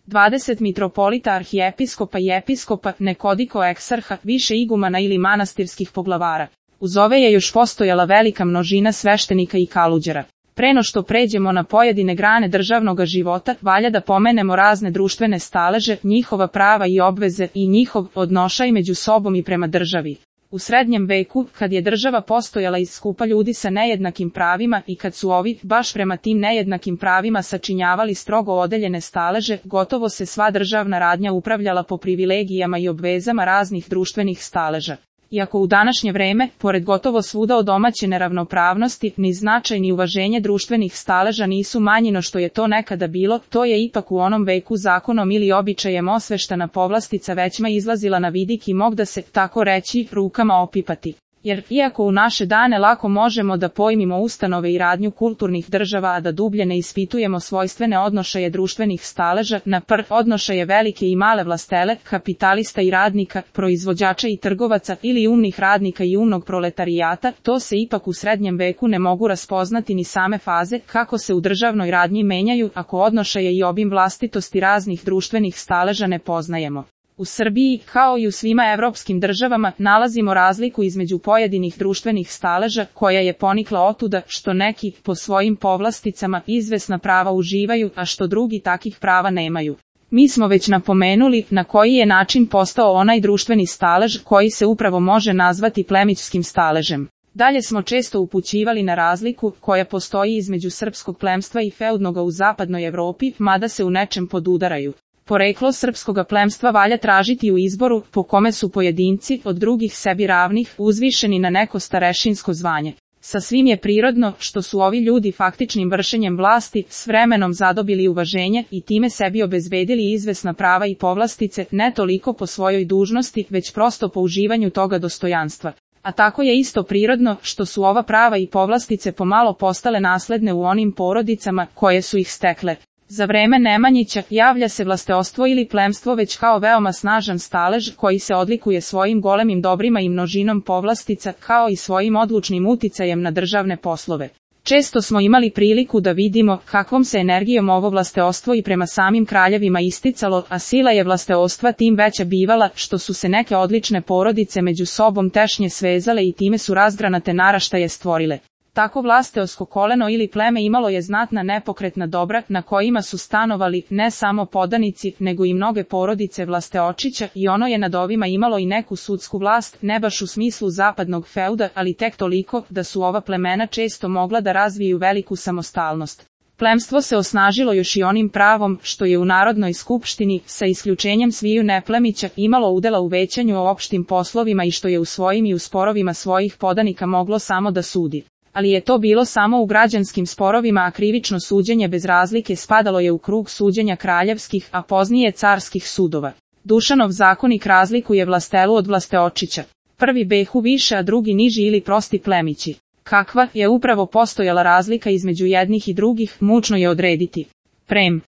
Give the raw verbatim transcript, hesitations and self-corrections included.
dvadeset mitropolita, arhijepiskopa i episkopa, nekoliko eksarha, više igumana ili manastirskih poglavara. Uz ove je još postojala velika množina sveštenika i kaluđera. Pre no što pređemo na pojedine grane državnog života, valja da pomenemo razne društvene staleže, njihova prava i obveze i njihov odnošaj među sobom i prema državi. U srednjem veku, kad je država postojala iz skupa ljudi sa nejednakim pravima i kad su ovi, baš prema tim nejednakim pravima sačinjavali strogo odeljene staleže, gotovo se sva državna radnja upravljala po privilegijama i obvezama raznih društvenih staleža. Iako u današnje vreme, pored gotovo svuda odomaćene ravnopravnosti, ni značaj ni uvaženje društvenih staleža nisu manji no što je to nekada bilo, to je ipak u onom veku zakonom ili običajem osveštana povlastica većma izlazila na vidik i mog da se, tako reći, rukama opipati. Jer, iako u naše dane lako možemo da pojmimo ustanove i radnju kulturnih država, a da dublje ne ispitujemo svojstvene odnošaje društvenih staleža, na prv odnošaje velike i male vlastele, kapitalista i radnika, proizvođača i trgovaca ili umnih radnika i umnog proletarijata, to se ipak u srednjem veku ne mogu raspoznati ni same faze, kako se u državnoj radnji menjaju, ako odnošaje i obim vlastitosti raznih društvenih staleža ne poznajemo. U Srbiji, kao i u svima evropskim državama, nalazimo razliku između pojedinih društvenih staleža, koja je ponikla otuda što neki, po svojim povlasticama, izvesna prava uživaju, a što drugi takih prava nemaju. Mi smo već napomenuli na koji je način postao onaj društveni stalež koji se upravo može nazvati plemićskim staležem. Dalje smo često upućivali na razliku koja postoji između srpskog plemstva i feudnoga u zapadnoj Evropi, mada se u nečem podudaraju. Poreklo srpskoga plemstva valja tražiti u izboru, po kome su pojedinci, od drugih sebi ravnih, uzvišeni na neko starešinsko zvanje. Sasvim je prirodno, što su ovi ljudi faktičnim vršenjem vlasti, s vremenom zadobili uvaženje i time sebi obezbedili izvesna prava i povlastice, ne toliko po svojoj dužnosti, već prosto po uživanju toga dostojanstva. A tako je isto prirodno, što su ova prava i povlastice pomalo postale nasledne u onim porodicama, koje su ih stekle. Za vreme Nemanjića javlja se vlasteostvo ili plemstvo već kao veoma snažan stalež koji se odlikuje svojim golemim dobrima i množinom povlastica kao i svojim odlučnim uticajem na državne poslove. Često smo imali priliku da vidimo kakvom se energijom ovo vlasteostvo i prema samim kraljevima isticalo, a sila je vlasteostva tim veća bivala što su se neke odlične porodice među sobom tešnje svezale i time su razgranate naraštaje stvorile. Tako vlasteosko koleno ili pleme imalo je znatna nepokretna dobra na kojima su stanovali ne samo podanici nego i mnoge porodice vlasteočića i ono je nad ovima imalo i neku sudsku vlast, ne baš u smislu zapadnog feuda, ali tek toliko da su ova plemena često mogla da razviju veliku samostalnost. Plemstvo se osnažilo još i onim pravom što je u Narodnoj skupštini, sa isključenjem sviju neplemića, imalo udela u većanju o opštim poslovima i što je u svojim i u sporovima svojih podanika moglo samo da sudi. Ali je to bilo samo u građanskim sporovima, a krivično suđenje bez razlike spadalo je u krug suđenja kraljevskih, a poznije carskih sudova. Dušanov zakonik razlikuje vlastelu od vlasteočića. Prvi behu više, a drugi niži ili prosti plemići. Kakva je upravo postojala razlika između jednih i drugih, mučno je odrediti. Prem.